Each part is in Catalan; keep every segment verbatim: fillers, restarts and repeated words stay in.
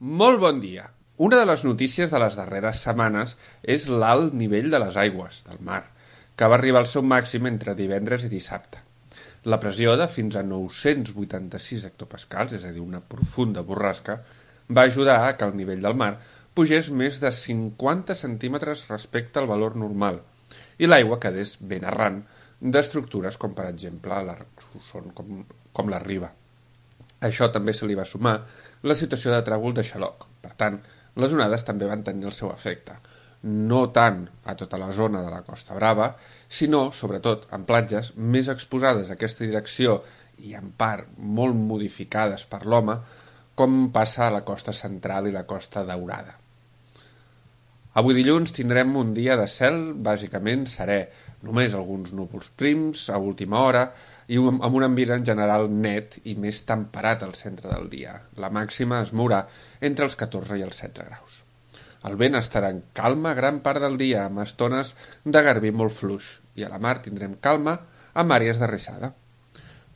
Molt bon dia! Una de les notícies de les darreres setmanes és l'alt nivell de les aigües del mar, que va arribar al seu màxim entre divendres i dissabte. La pressió de fins a nou-cents vuitanta-sis hectopascals, és a dir, una profunda borrasca, va ajudar a que el nivell del mar pugés més de cinquanta centímetres respecte al valor normal i l'aigua quedés ben arran d'estructures com, per exemple, la, són com, com la riba. A això també se li va sumar la situació de tràgol de xaloc. Per tant, les onades també van tenir el seu efecte. No tant a tota la zona de la Costa Brava, sinó, sobretot, en platges més exposades a aquesta direcció i en part molt modificades per l'home, com passa a la costa central i la Costa Daurada. Avui dilluns tindrem un dia de cel bàsicament serè, només alguns núvols prims a última hora i amb un ambient en general net i més temperat al centre del dia. La màxima es mourà entre els catorze i els setze graus. El vent estarà en calma gran part del dia, amb estones de garbí molt fluix, i a la mar tindrem calma amb àrees de rissada.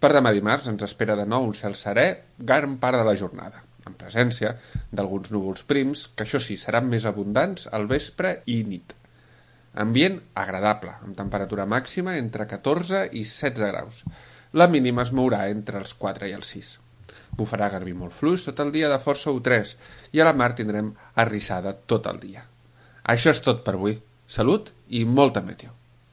Per demà dimarts ens espera de nou un cel serè gran part de la jornada, en presència d'alguns núvols prims, que això sí, seran més abundants al vespre i nit. Ambient agradable, amb temperatura màxima entre catorze i setze graus. La mínima es mourà entre els quatre i els sis. Bufarà garbí molt fluix tot el dia de força u tres i a la mar tindrem arrissada tot el dia. Això és tot per avui. Salut i molta meteo.